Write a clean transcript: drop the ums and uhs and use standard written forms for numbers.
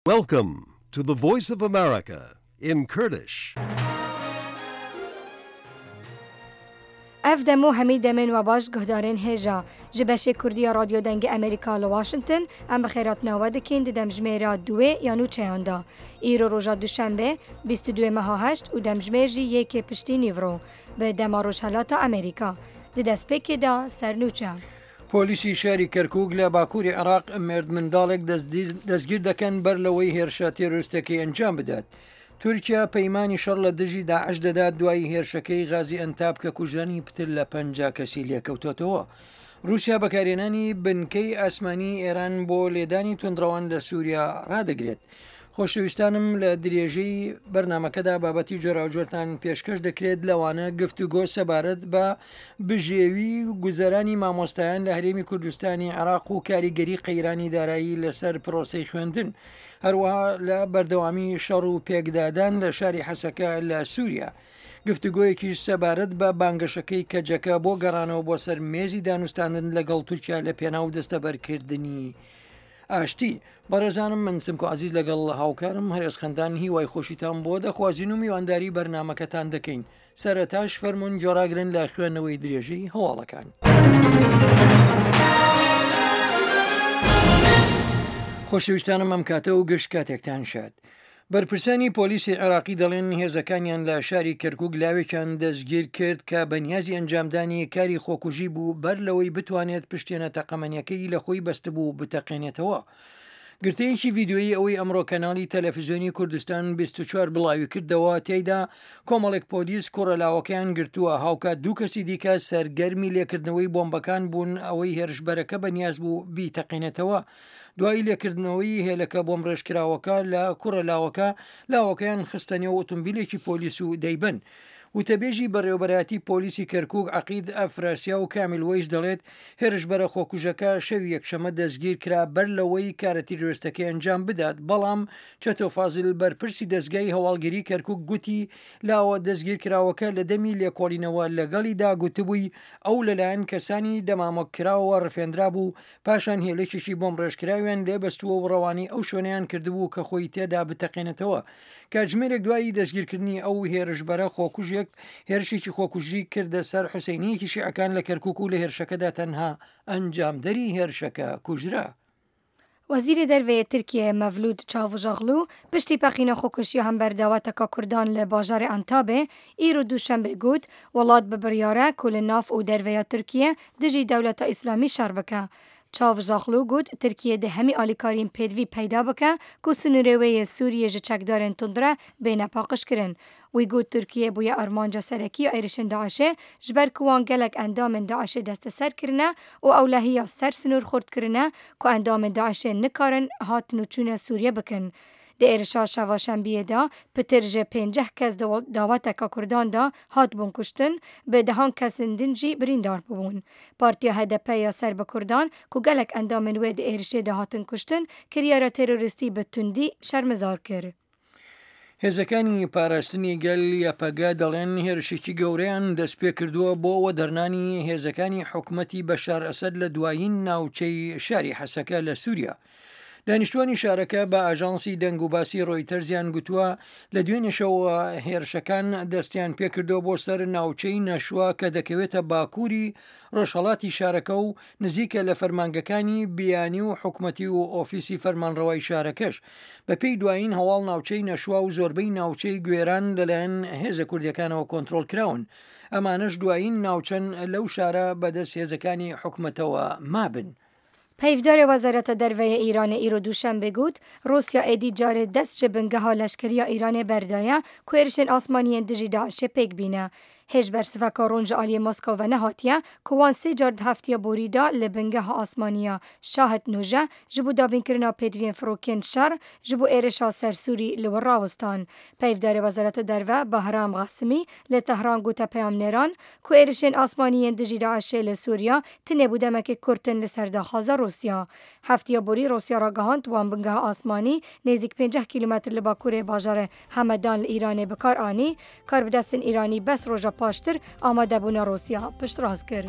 Welcome to the Voice of America in Kurdish. Ev dem û hemî demên we baş guhdarên hêja. Ji beşê Kurdî ya Radyo Dengê Amerîka li Washington em bi xêratina we dikîn di demjimêra duwê ya nûçeyan de. Îro roja Duşembê 22 meha heşt û demjimêr jî yekê piştî nîvro bi dema Rojhelata Amerîka. Di destpêkê de ser nûçe. پۆلیسی شاری کەرکوک لە باکووری عێراق مێردمنداڵێک دەستگیر دەکەن بەر لەوەی هێرشە تێرۆریستەکەی ئەنجام بدات. تورکیا پەیمانی شەڕ لە دژی داعش دەدات دوای هێرشەکەی غازی ئەنتاب کە کوژرانی پتر لە 50 کەسی لێکەوتۆتەوە. رووسیا بەکارهێنانی بنکەی ئاسمانی ئێران بۆ لێدانی توندڕەوان لە سووریا ڕادەگرێت. خۆشەویستانم لە درێژەی بەرنامەکەدا بابەتی جۆراوجۆرتان پێشکەش دەکرێت لەوانە گفتوگۆ سەبارەت بە بژێوی گوزەرانی مامۆستایان لە هەرێمی کوردستانی عێراق و کاریگەری قەیرانی دارایی لەسەر پرۆسەی خوێندن هەروەها لە بەردەوامی شەڕ و پێکدادان لە شاری حەسەکە لە سووریا گفتوگۆیەکیش سەبارەت بە بانگەشەکەی کەجەکە بۆ گەڕانەوە بۆ سەر مێزی دانوستاندن لەگەڵ تورکیا لە پێناو دەستەبەرکردنی ئاشتی. بەڕێزانم من سمکۆ عەزیز لەگەڵ هاوکارم هەرێز خەندان هیوای خۆشیتان بۆ دەخوازین و میوانداری بەرنامەکەتان دەکەین. سەرەتاش فەرموون گوێڕاگرن لە خوێندنەوەی درێژەی هەواڵەکان. خۆشەویستانم ئەم کاتە و گشت کاتێکتان شاد. بەرپرسانی پۆلیسی عێراقی دەڵێن هێزەکانیان لە شاری کەرکوک لاوێکیان دەستگیر کرد کە بەنیازی ئەنجامدانی کاری خۆکوژی بوو بەر لەوەی بتوانێت پشتێنە تەقەمەنیەکەی لە خۆی بەستبوو بتەقێنێتەوە. گرتەیەکی ڤیدیۆیی ئەوەی ئەمڕۆ کەناڵی تەلەفزیۆنی کوردستان 24 بڵاوی کردەوە تێیدا کۆمەڵێک پۆلیس کوڕە لاوەکەیان گرتووە هاوکات دوو کەسی دیکە سەرگەرمی لێکردنەوەی بۆمبەکان بوون ئەوەی هێرشبەرەکە بەنیاز بوو بیتەقێنێتەوە. دوای لێکردنەوەی هێلەکە بۆمڕێژکراوەکە لە کوڕە لاوەکە، لاوەکەیان خستە نێو ئۆتۆمبیلێکی پۆلیس و دەیبەن. وتەبێژی بەڕێوەبەرایەتی پۆلیسی کەرکوک عەقید ئەفراسیاو کامیل وەیس دەڵێت، هێرشبەرە خۆکوژەکە شەوی یەکشەمە دەستگیرکرا بەر لەوەی کارە تیرۆرستەکەی ئەنجام بدات، بەڵام چەتۆ فازیل بەرپرسی دەزگای هەواڵگری کەرکوک گوتی لاوە دەستگیرکراوەکە لە دەمی لێکۆڵینەوە لەگەڵیدا گوتبووی ئەو لەلایەن کەسانی دەمامککراوەوە ڕفێندرابوو پاشان هێلێکێکی بۆمبڕێژکراویان لێ بەستووە و ڕەوانەی ئەو شوێنەیان کردبوو کە خۆی تێدا بتەقێنێتەوە. کاتژمێرێک دوای دەستگیرکردنی ئەو هێرشبەرە خۆکوژێک هێرشێکی خۆکوژی کردە سەر حوسەینییەکی شیعەکان لە کەرکووک و لە هێرشەکەدا تەنها ئەنجامدەری هێرشەکە کوژرا. وەزیری دەرڤەیێ ترکیەیێ مەڤلود چاڤوشئۆغلو پشتی پەقینە خۆکوشتیا هەمبەر داوەتەکا کوردان لە باژارێ ئەنتابێ ئیرۆ دووشەنبێ گوت، وڵات بە بڕیارە کو لە ناف و دەرڤەیا ترکیە دژی دەولەتا ئیسلامی شەڕ بکە. چاڤوشئۆغلو گوت، ترکیە دێ هەمی ئالیکاریên پێدڤی پەیدا بکە کو سنوورێ وێ یێ سووریە ژ چەکدارên توندرە بێنە پاقژکرن. وی گوت ترکیە بوویە ئارمانجا سەرەکی ya êrişên DAIŞê ji ber ku wan gelek endamên DAIŞê desteser kirine û ewlehiya ser sinûr xurt kirine ku endamên DAIŞê nikarin hatin û çûne Sûriye bikin. Di êrişa şeva şembiyê de pitir ji pênceh kes di daweteka Kurdan de hatibûn kuştin, bi dehan kesên din jî birîndar bûbûn. Partiya HDP ya ser bi Kurdan ku gelek endamên wê di êrişê de hatin kuştin, kiryara terorîstî bi tundî şermezar kir. هێزەکانی پاراستنی گەل یەپەگە دەڵێن هێرشێکی گەورەیان دەستپێکردووە بۆ وەدەرنانی هێزەکانی حکومەتی بەشار ئەسەد لە دوایین ناوچەی شاری حەسەکە لە سووریا. دانیشتوانی شارەکە بە ئاژانسی دەنگ و باسی ڕۆیتەرزیان گوتووە لە دوێنێشەوە هێرشەکان دەستیان پێکردووە بۆ سەر ناوچەی نەشوە کە دەکەوێتە باکووری ڕۆژهەڵاتی شارەکە و نزیکە لە فەرمانگەکانی بیانی و حکومەتی و ئۆفیسی فەرمانڕەوای شارەکەش. بەپێی دوایین هەواڵ ناوچەی نەشوا و زۆربەی ناوچەی گوێران لەلایەن هێزە کوردیەکانەوە کۆنترۆڵ کراون. ئەمانەش دوایین ناوچەن لەو شارە بەدەست هێزەکانی حکومەتەوە مابن. پەیڤدارê Wezareta Derve yê Îranê îro Duşembê got, Rûsya êdî carê dest ji bingeha leşkeriya Îranê berdaye ku êrişên asmanî yên dijî DAIŞê pêk bîne. Hêj bersiveka ron ji aliyê Moskow ve nehatiye ku wan sê car di heftiya borî de li bingeha asmanî ya Şahid Nûje ji bo dabînkirina pêdiviyên firokên şer ji bo êrişa ser Sûrî li wir rawestan. Peyvdarê Wezareta Derve Bahram Qasimî li Tehran gote peyamnêran ku êrişên asmanî yên dijî DAIŞê li Sûriya tenê bo demekê kurt in li ser daxwaza Rûsya. Heftiya borî Rûsya ragihand wan bingeha asmanî nêzîk 50 kîlometr li bakurê bajarê Hemedan li Îranê bi kar anî, karbidestên Îranî bes roja paştir amadebûna Rûsya piştrast kir.